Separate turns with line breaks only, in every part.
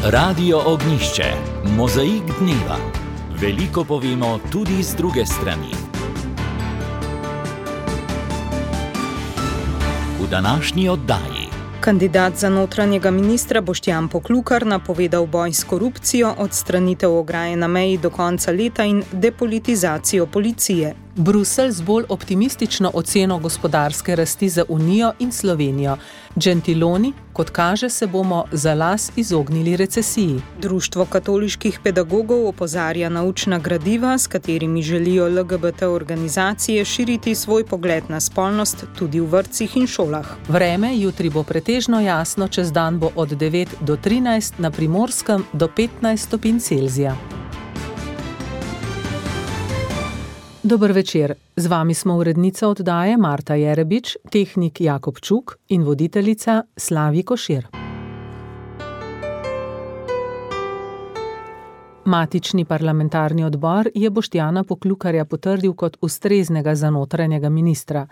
Radio Ognjišče, mozaik dneva. Veliko povemo tudi z druge strani. V današnji oddaji.
Kandidat za notranjega ministra Boštjan Poklukar napovedal boj s korupcijo, odstranitev ograje na meji do konca leta in depolitizacijo policije.
Bruselj z bolj optimistično oceno gospodarske rasti za Unijo in Slovenijo. Gentiloni, kot kaže, se bomo za las izognili recesiji.
Društvo katoliških pedagogov opozarja na učna gradiva, s katerimi želijo LGBT organizacije širiti svoj pogled na spolnost tudi v vrtcih in šolah.
Vreme jutri bo pretežno jasno, čez dan bo od 9 do 13, na Primorskem do 15 stopinj Celzija. Dober večer, z vami smo urednica oddaje Marta Jerebič, tehnik Jakob Čuk in voditeljica Slavi Košir. Matični parlamentarni odbor je Boštjana Poklukarja potrdil kot ustreznega za notranjega ministra.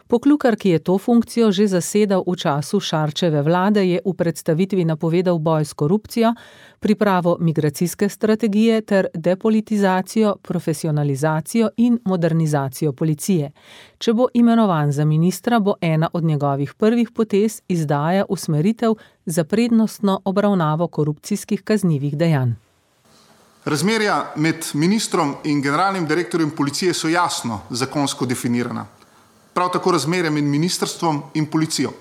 Poklukar, ki je to funkcijo že zasedal v času Šarčeve vlade, je v predstavitvi napovedal boj s korupcijo, pripravo migracijske strategije ter depolitizacijo, profesionalizacijo in modernizacijo policije. Če bo imenovan za ministra, bo ena od njegovih prvih potez izdaja usmeritev za prednostno obravnavo korupcijskih kaznivih dejanj.
Razmerja med ministrom in generalnim direktorjem policije so jasno zakonsko definirana. Prav tako razmerja med ministrstvom in policijo.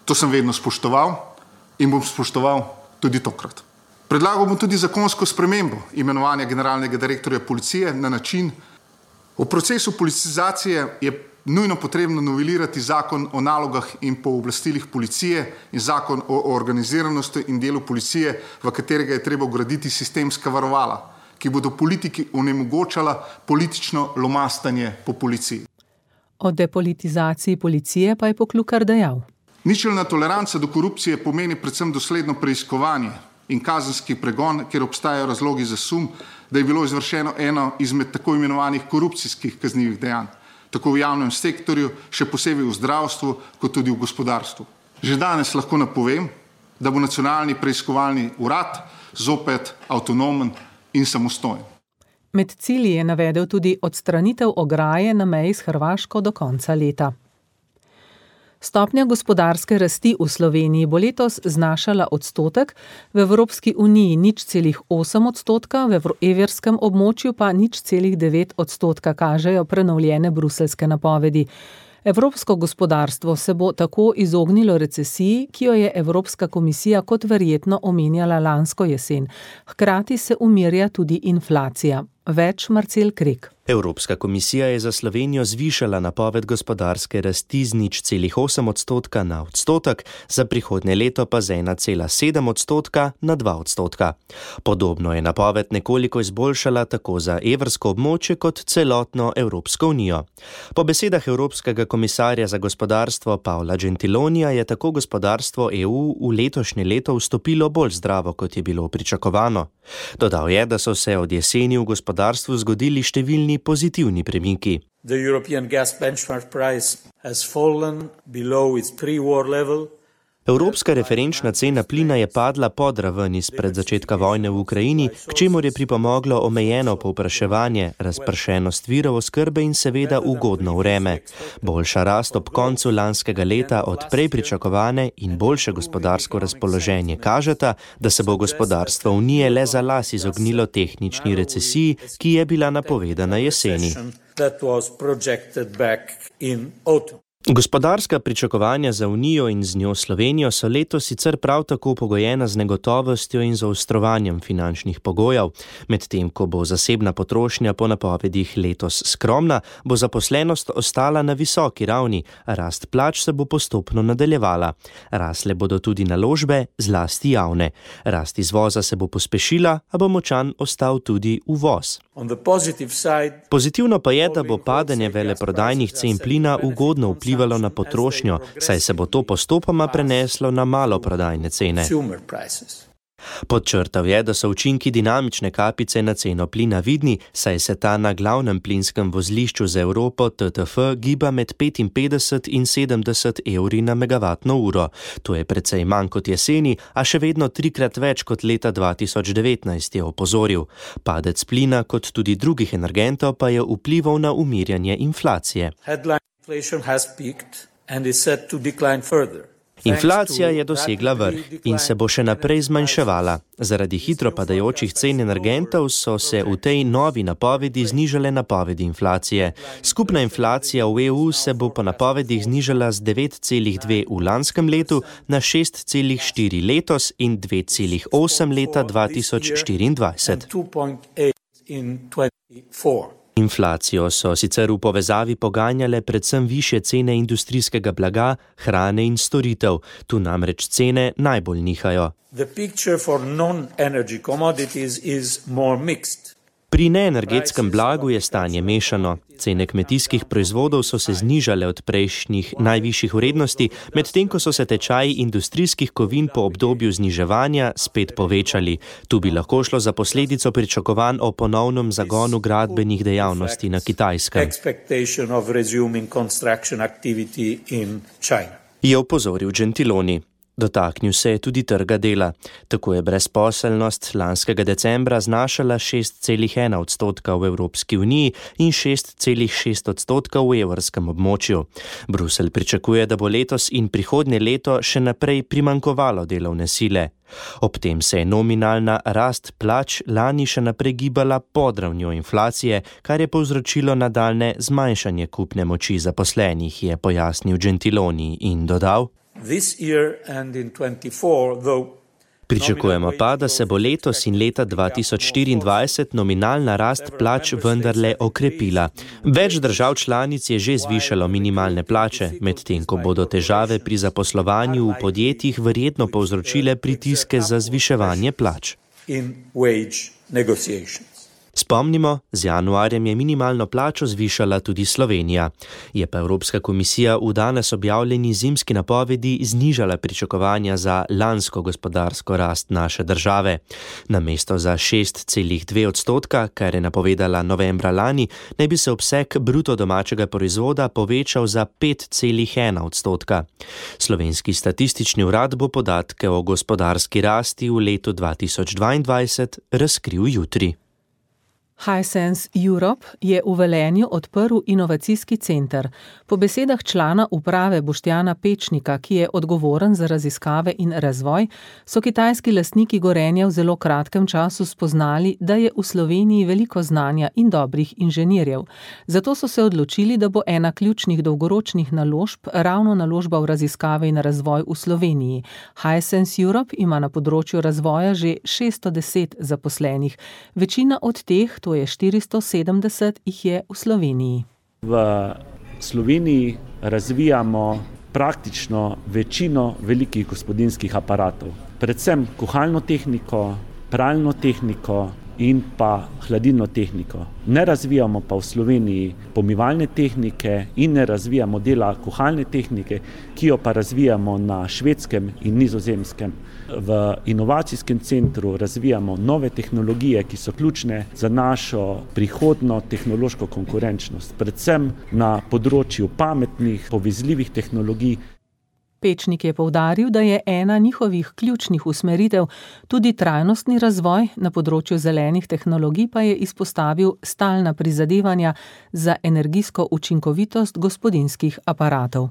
To sem vedno spoštoval in bom spoštoval tudi tokrat. Predlagal bom tudi zakonsko spremembo imenovanja generalnega direktorja policije na način: v procesu politizacije je nujno potrebno novelirati zakon o nalogah in pooblastilih policije in zakon o organiziranosti in delu policije, v katerega je treba vgraditi sistemska varovala, ki bodo politiki onemogočala politično lomastanje po policiji.
O depolitizaciji policije pa je Poklukar dejal:
Ničelna toleranca do korupcije pomeni predvsem dosledno preiskovanje in kazenski pregon, kjer obstajajo razlogi za sum, da je bilo izvršeno eno izmed tako imenovanih korupcijskih kaznivih dejanj, tako v javnem sektorju, še posebej v zdravstvu, kot tudi v gospodarstvu. Že danes lahko napovem, da bo nacionalni preiskovalni urad zopet avtonomen in samostojen.
Med cilji je navedel tudi odstranitev ograje na meji s Hrvaško do konca leta. Stopnja gospodarske rasti v Sloveniji bo letos znašala odstotek, v Evropski uniji 0,8%, v evrskem območju pa 0,9%, kažejo prenovljene bruseljske napovedi. Evropsko gospodarstvo se bo tako izognilo recesiji, ki jo je Evropska komisija kot verjetno omenjala lansko jesen. Hkrati se umirja tudi inflacija. Več Marcel Krek.
Evropska komisija je za Slovenijo zvišala napoved gospodarske rasti z 0,8% na odstotek, za prihodnje leto pa z 1,7% na 2%. Podobno je napoved nekoliko izboljšala tako za evrsko območje kot celotno Evropsko unijo. Po besedah Evropskega komisarja za gospodarstvo Paula Gentilonija je tako gospodarstvo EU v letošnje leto vstopilo bolj zdravo, kot je bilo pričakovano. Dodal je, da so se od jeseni v gospodarstvu zgodili številni pozitivni premiki.
The European gas benchmark price has fallen below its pre-war level.
Evropska referenčna cena plina je padla pod raven izpred začetka vojne v Ukrajini, k čemur je pripomoglo omejeno povpraševanje, razpršenost virov oskrbe in seveda ugodno vreme. Boljša rast ob koncu lanskega leta od prej pričakovane in boljše gospodarsko razpoloženje kažeta, da se bo gospodarstvo Unije le za las izognilo tehnični recesiji, ki je bila napovedana jeseni. Gospodarska pričakovanja za Unijo in z njo Slovenijo so letos sicer prav tako pogojena z negotovostjo in zaostrovanjem finančnih pogojev. Medtem ko bo zasebna potrošnja po napovedih letos skromna, bo zaposlenost ostala na visoki ravni, rast plač se bo postopno nadaljevala. Rasle bodo tudi naložbe, zlasti javne. Rast izvoza se bo pospešila, a bo močan ostal tudi uvoz. Pozitivno pa je, da bo padanje veleprodajnih cen plina ugodno vplivalo na potrošnjo, saj se bo to postopoma preneslo na maloprodajne cene. Podčrtal je, da so učinki dinamične kapice na ceno plina vidni, saj se ta na glavnem plinskem vozlišču za Evropo TTF giba med 55 in 70 evri na megavatno uro. To je precej manj kot jeseni, a še vedno 3-krat več kot leta 2019, je opozoril. Padec plina kot tudi drugih energentov pa je vplival na umirjanje inflacije. Inflacija je dosegla vrh in se bo še naprej zmanjševala. Zaradi hitro padajočih cen energentov so se v tej novi napovedi znižale napovedi inflacije. Skupna inflacija v EU se bo po napovedih znižala z 9,2 v lanskem letu na 6,4 letos in 2,8 leta 2024. Inflacijo so sicer v povezavi poganjale predvsem višje cene industrijskega blaga, hrane in storitev. Tu namreč cene najbolj nihajo. Pri neenergetskem blagu je stanje mešano. Cene kmetijskih proizvodov so se znižale od prejšnjih najvišjih vrednosti, medtem ko so se tečaji industrijskih kovin po obdobju zniževanja spet povečali. Tu bi lahko šlo za posledico pričakovanj o ponovnem zagonu gradbenih dejavnosti na Kitajskem. Je opozoril Gentiloni. Dotaknil se je tudi trga dela. Tako je brezposelnost lanskega decembra znašala 6,1 odstotka v Evropski uniji in 6,6 odstotka v evrskem območju. Bruselj pričakuje, da bo letos in prihodnje leto še naprej primanjkovalo delovne sile. Ob tem se je nominalna rast plač lani še naprej gibala pod ravnjo inflacije, kar je povzročilo nadaljnje zmanjšanje kupne moči zaposlenih, je pojasnil Gentiloni in dodal: Pričakujemo pa, da se bo letos in leta 2024 nominalna rast plač vendarle okrepila. Več držav članic je že zvišalo minimalne plače, medtem ko bodo težave pri zaposlovanju v podjetjih verjetno povzročile pritiske za zviševanje plač. Spomnimo, z januarjem je minimalno plačo zvišala tudi Slovenija. Je pa Evropska komisija v danes objavljeni zimski napovedi znižala pričakovanja za lansko gospodarsko rast naše države. Namesto za 6,2 odstotka, kar je napovedala novembra lani, naj bi se obseg bruto domačega proizvoda povečal za 5,1 odstotka. Slovenski statistični urad bo podatke o gospodarski rasti v letu 2022 razkril jutri.
Hisense Europe je v Velenju odprl inovacijski center. Po besedah člana uprave Boštjana Pečnika, ki je odgovoren za raziskave in razvoj, so kitajski lastniki Gorenja v zelo kratkem času spoznali, da je v Sloveniji veliko znanja in dobrih inženirjev. Zato so se odločili, da bo ena ključnih dolgoročnih naložb ravno naložba v raziskave in razvoj v Sloveniji. Hisense Europe ima na področju razvoja že 610 zaposlenih. Večina od teh, to je 470, jih je v Sloveniji.
V Sloveniji razvijamo praktično večino velikih gospodinjskih aparatov. Predvsem kuhalno tehniko, pralno tehniko in pa hladilno tehniko. Ne razvijamo pa v Sloveniji pomivalne tehnike in ne razvijamo dela kuhalne tehnike, ki jo pa razvijamo na Švedskem in Nizozemskem. V inovacijskem centru razvijamo nove tehnologije, ki so ključne za našo prihodno tehnološko konkurenčnost, predvsem na področju pametnih, povezljivih tehnologij.
Pečnik je poudaril, da je ena njihovih ključnih usmeritev tudi trajnostni razvoj, na področju zelenih tehnologij pa je izpostavil stalna prizadevanja za energijsko učinkovitost gospodinjskih aparatov.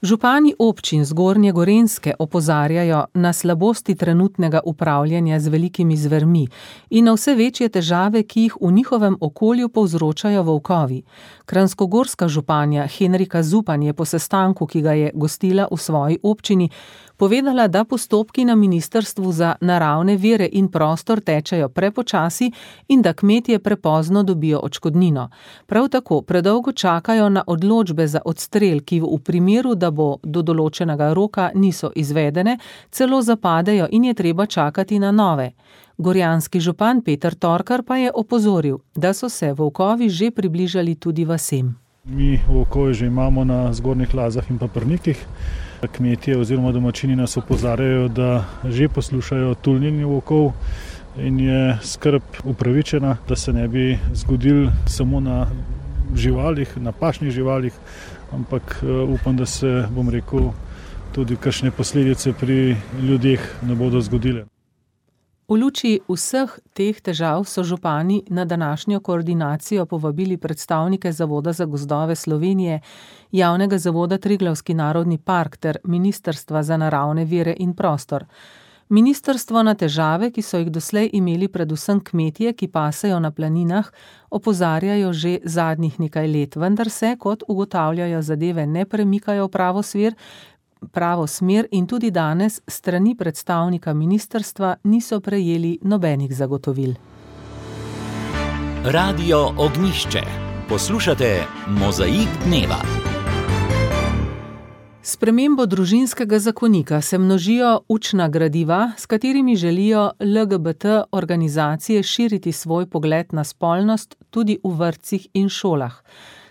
Župani občin Zgornje Gorenjske opozarjajo na slabosti trenutnega upravljanja z velikimi zvermi in na vse večje težave, ki jih v njihovem okolju povzročajo volkovi. Kranjskogorska županja Henrika Zupan je po sestanku, ki ga je gostila v svoji občini, povedala, da postopki na Ministrstvu za naravne vire in prostor tečejo prepočasi in da kmetje prepozno dobijo odškodnino. Prav tako predolgo čakajo na odločbe za odstrel, ki v primeru, da bo do določenega roka niso izvedene, celo zapadejo in je treba čakati na nove. Gorjanski župan Peter Torkar pa je opozoril, da so se volkovi že približali tudi vasem.
Mi volkove že imamo na Zgornjih Lazah in pa Prnikih. Kmetje oziroma domačini nas opozarjajo, da že poslušajo tulnjenje volkov in je skrb upravičena, da se ne bi zgodil samo na živalih, na pašnih živalih, ampak upam, da se, tudi kakšne posledice pri ljudeh ne bodo zgodile.
V luči vseh teh težav so župani na današnjo koordinacijo povabili predstavnike Zavoda za gozdove Slovenije, Javnega zavoda Triglavski narodni park ter Ministrstva za naravne vire in prostor. Ministrstvo na težave, ki so jih doslej imeli predvsem kmetje, ki pasejo na planinah, opozarjajo že zadnjih nekaj let, vendar se, kot ugotavljajo, zadeve ne premikajo v pravo smer in tudi danes strani predstavnika ministrstva niso prejeli nobenih zagotovil.
Radio Ognjišče. Poslušate Mozaik dneva.
S spremembo družinskega zakonika se množijo učna gradiva, s katerimi želijo LGBT organizacije širiti svoj pogled na spolnost tudi v vrtcih in šolah.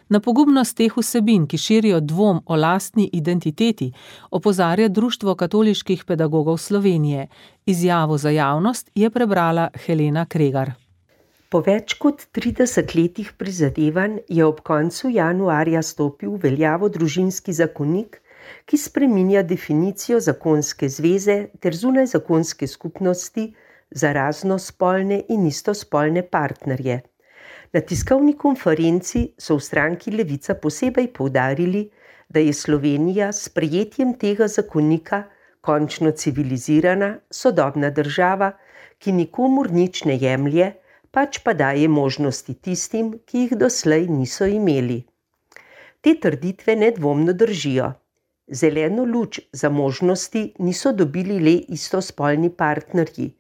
Na pogubnost teh vsebin, ki širijo dvom o lastni identiteti, opozarja Društvo katoliških pedagogov Slovenije. Izjavo za javnost je prebrala Helena Kregar.
Po več kot 30 letih prizadevanj je ob koncu januarja stopil v veljavo družinski zakonik, ki spreminja definicijo zakonske zveze ter zunajzakonske skupnosti za raznospolne in istospolne partnerje. Na tiskovni konferenci so v stranki Levica posebej poudarili, da je Slovenija s sprejetjem tega zakonika končno civilizirana, sodobna država, ki nikomur nič ne jemlje, pač pa daje možnosti tistim, ki jih doslej niso imeli. Te trditve nedvomno držijo. Zeleno luč za možnosti niso dobili le istospolni partnerji.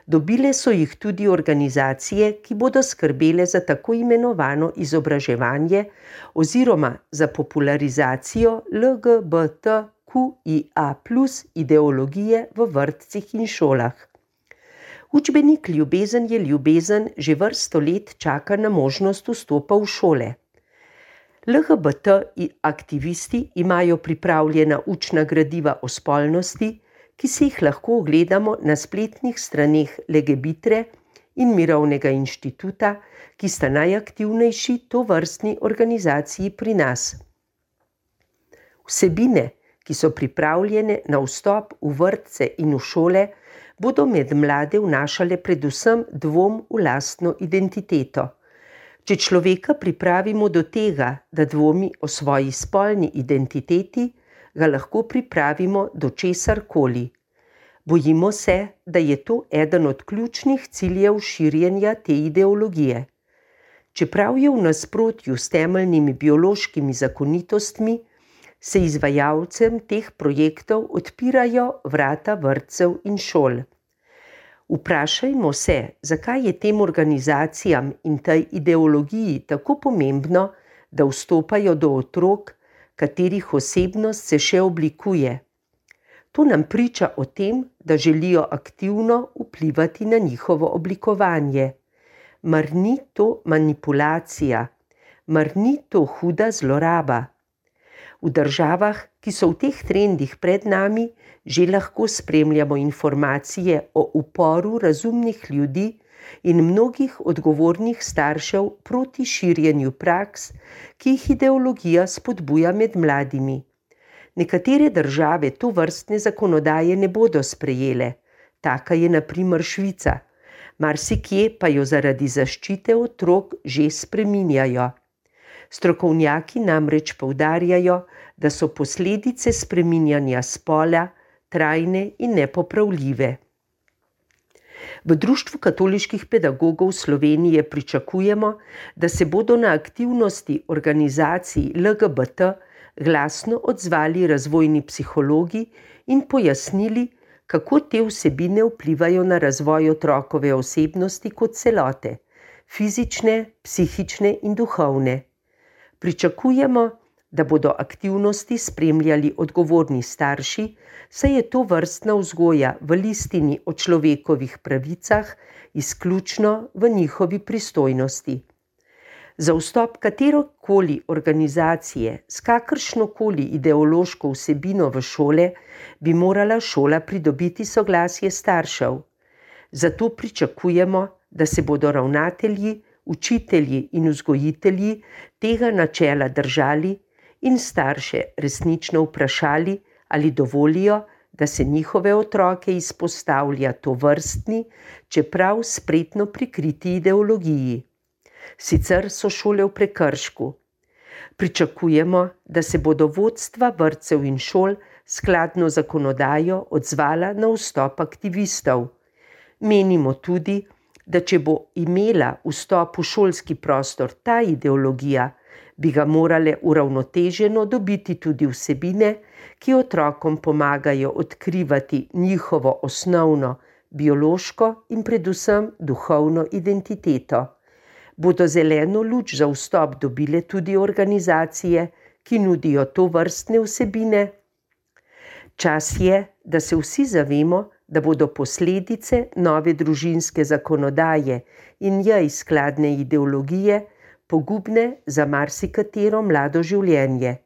Dobile so jih tudi organizacije, ki bodo skrbele za tako imenovano izobraževanje oziroma za popularizacijo LGBTQIA+ ideologije v vrtcih in šolah. Učbenik Ljubezen je ljubezen že vrsto let čaka na možnost vstopa v šole. LGBT aktivisti imajo pripravljena učna gradiva o spolnosti, ki si jih lahko ogledamo na spletnih straneh Legebitre in Mirovnega inštituta, ki sta najaktivnejši tovrstni organizaciji pri nas. Vsebine, ki so pripravljene na vstop v vrtce in v šole, bodo med mlade vnašale predvsem dvom v lastno identiteto. Če človeka pripravimo do tega, da dvomi o svoji spolni identiteti, ga lahko pripravimo do česarkoli. Bojimo se, da je to eden od ključnih ciljev širjenja te ideologije. Čeprav je v nasprotju s temeljnimi biološkimi zakonitostmi, se izvajalcem teh projektov odpirajo vrata vrtcev in šol. Vprašajmo se, zakaj je tem organizacijam in tej ideologiji tako pomembno, da vstopajo do otrok, katerih osebnost se še oblikuje. To nam priča o tem, da želijo aktivno vplivati na njihovo oblikovanje. Mar ni to manipulacija? Mar ni to huda zloraba? V državah, ki so v teh trendih pred nami, že lahko spremljamo informacije o uporu razumnih ljudi in mnogih odgovornih staršev proti širjenju praks, ki jih ideologija spodbuja med mladimi. Nekatere države tovrstne zakonodaje ne bodo sprejele, taka je na primer Švica, marsikje pa jo zaradi zaščite otrok že spreminjajo. Strokovnjaki namreč poudarjajo, da so posledice spreminjanja spola trajne in nepopravljive. V Društvu katoliških pedagogov Slovenije pričakujemo, da se bodo na aktivnosti organizacij LGBT glasno odzvali razvojni psihologi in pojasnili, kako te vsebine vplivajo na razvoj otrokove osebnosti kot celote, fizične, psihične in duhovne. Pričakujemo, da bodo aktivnosti spremljali odgovorni starši, saj je to vrstna vzgoja v listini o človekovih pravicah izključno v njihovi pristojnosti. Za vstop katerokoli organizacije s kakršnokoli ideološko vsebino v šole bi morala šola pridobiti soglasje staršev. Zato pričakujemo, da se bodo ravnatelji, učitelji in vzgojitelji tega načela držali in starše resnično vprašali, ali dovolijo, da se njihove otroke izpostavlja tovrstni, čeprav spretno prikriti ideologiji. Sicer so šole v prekršku. Pričakujemo, da se bodo vodstva vrtcev in šol skladno zakonodajo odzvala na vstop aktivistov. Menimo tudi, da če bo imela vstop v šolski prostor ta ideologija, bi ga morale uravnoteženo dobiti tudi vsebine, ki otrokom pomagajo odkrivati njihovo osnovno, biološko in predvsem duhovno identiteto. Bodo zeleno luč za vstop dobile tudi organizacije, ki nudijo tovrstne vsebine? Čas je, da se vsi zavemo, da bodo posledice nove družinske zakonodaje in njej skladne ideologije pogubne za marsikatero mlado življenje.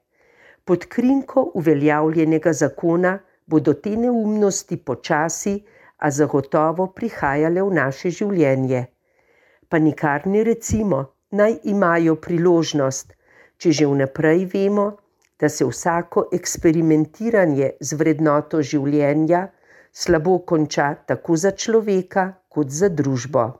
Pod krinko uveljavljenega zakona bodo te neumnosti počasi, a zagotovo prihajale v naše življenje. Pa nikar ne recimo, naj imajo priložnost, če že vnaprej vemo, da se vsako eksperimentiranje z vrednoto življenja slabo konča tako za človeka kot za družbo.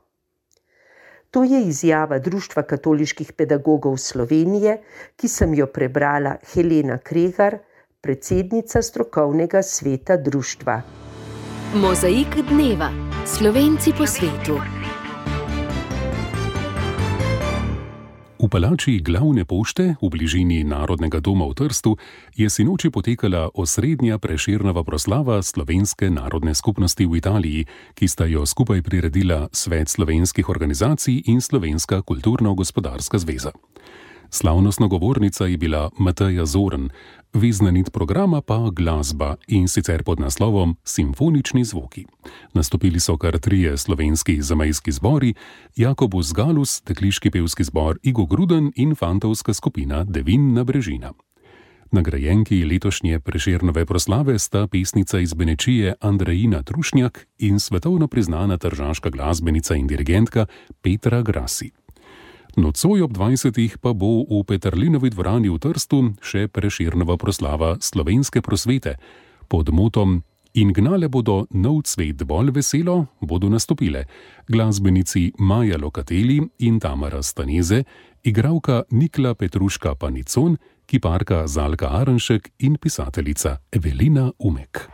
To je izjava Društva katoliških pedagogov Slovenije, ki sem jo prebrala Helena Kregar, predsednica strokovnega sveta društva.
Mozaik dneva. Slovenci po svetu.
V palači Glavne pošte v bližini Narodnega doma v Trstu je sinoči potekala osrednja Prešernova proslava Slovenske narodne skupnosti v Italiji, ki sta jo skupaj priredila Svet slovenskih organizacij in Slovenska kulturno-gospodarska zveza. Slavnostna govornica je bila Mateja Zorn, vezna nit programa pa glasba, in sicer pod naslovom Simfonični zvoki. Nastopili so kar 3 slovenski zamejski zbori, Jakobus Galus, dekliški pevski zbor Igo Gruden in fantovska skupina Devin na Brežina. Nagrajenki letošnje Prešernove proslave sta pesnica iz Benečije Andrejina Trušnjak in svetovno priznana tržaška glasbenica in dirigentka Petra Grasi. Nocoj ob 20. pa bo v Peterlinovi dvorani v Trstu še Prešernova proslava slovenske prosvete. Pod motom In gnale bodo nov cvet bolj veselo, bodo nastopile glasbenici Maja Lokateli in Tamara Staneze, igralka Nikla Petruška Panicon, kiparka Zalka Arenšek in pisateljica Evelina Umek.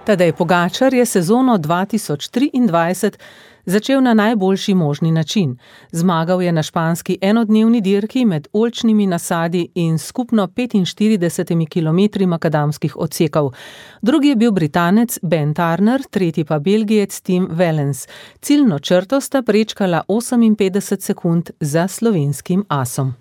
Tadej Pogačar je sezono 2023 začel na najboljši možni način. Zmagal je na španski enodnevni dirki med oljčnimi nasadi in skupno 45 kilometri makadamskih odsekov. Drugi je bil Britanec Ben Turner, tretji pa Belgijec Tim Wellens. Ciljno črto sta prečkala 58 sekund za slovenskim asom.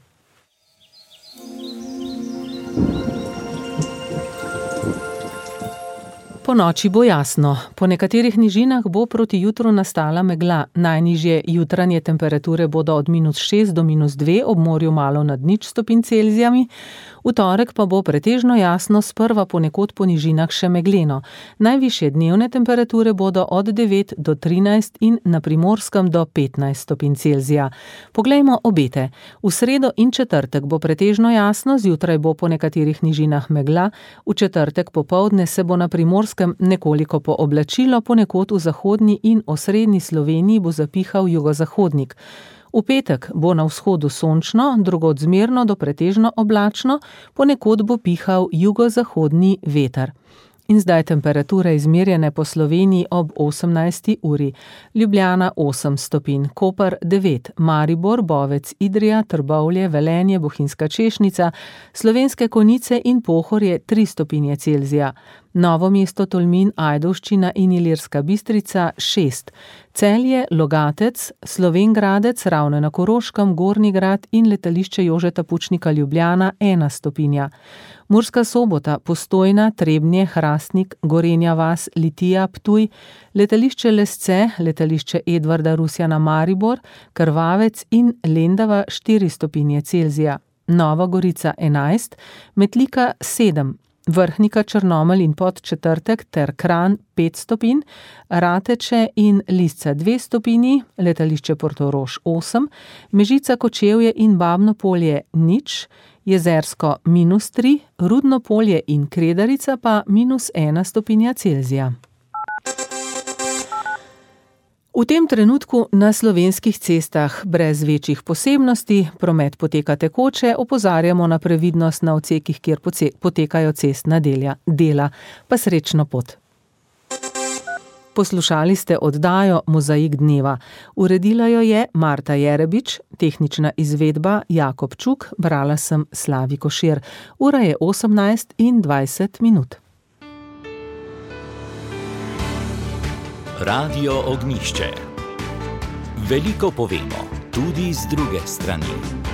Po noči bo jasno. Po nekaterih nižinah bo proti jutru nastala megla. Najnižje jutranje temperature bodo od -6 do -2, ob morju malo nad 0 stopinj Celzija. V torek pa bo pretežno jasno, sprva ponekod po nižinah še megleno. Najvišje dnevne temperature bodo od 9 do 13 in na Primorskem do 15 stopinj Celzija. Poglejmo obete. V sredo in četrtek bo pretežno jasno, zjutraj bo po nekaterih nižinah megla, v četrtek popoldne se bo na Primorskem nekoliko pooblačilo, ponekod v zahodni in osrednji Sloveniji bo zapihal jugozahodnik. V petek bo na vzhodu sončno, drugod zmerno do pretežno oblačno, ponekod bo pihal jugozahodni veter. In zdaj temperature izmerjene po Sloveniji ob 18. uri. Ljubljana 8 stopinj, Koper 9, Maribor, Bovec, Idrija, Trbovlje, Velenje, Bohinjska Češnica, Slovenske Konjice in Pohorje 3 stopinje Celzija. Novo mesto, Tolmin, Ajdovščina in Ilirska Bistrica 6, Celje, Logatec, Slovenj Gradec, Ravne na Koroškem, Gornji Grad in letališče Jožeta Pučnika Ljubljana 1 stopinja. Murska Sobota, Postojna, Trebnje, Hrastnik, Gorenja vas, Litija, Ptuj, letališče Lesce, letališče Edvarda Rusjana Maribor, Krvavec in Lendava 4 stopinje Celzija. Nova Gorica 11, Metlika 7, Vrhnika, Črnomelj in Podčetrtek ter Kranj 5 stopinj, Rateče in Lisca 2 stopinji, letališče Portorož 8, Mežica, Kočevje in Babno Polje 0, Jezersko -3, Rudno Polje in Kredarica pa -1 stopinja Celzija. V tem trenutku na slovenskih cestah brez večjih posebnosti, promet poteka tekoče, opozarjamo na previdnost na odsekih, kjer potekajo cestna dela, pa srečno pot. Poslušali ste oddajo Mozaik dneva. Uredila jo je Marta Jerebič, tehnična izvedba Jakob Čuk, brala sem Slavi Košir. Ura je 18:20.
Radio Ognjišče. Veliko povemo, tudi z druge strani.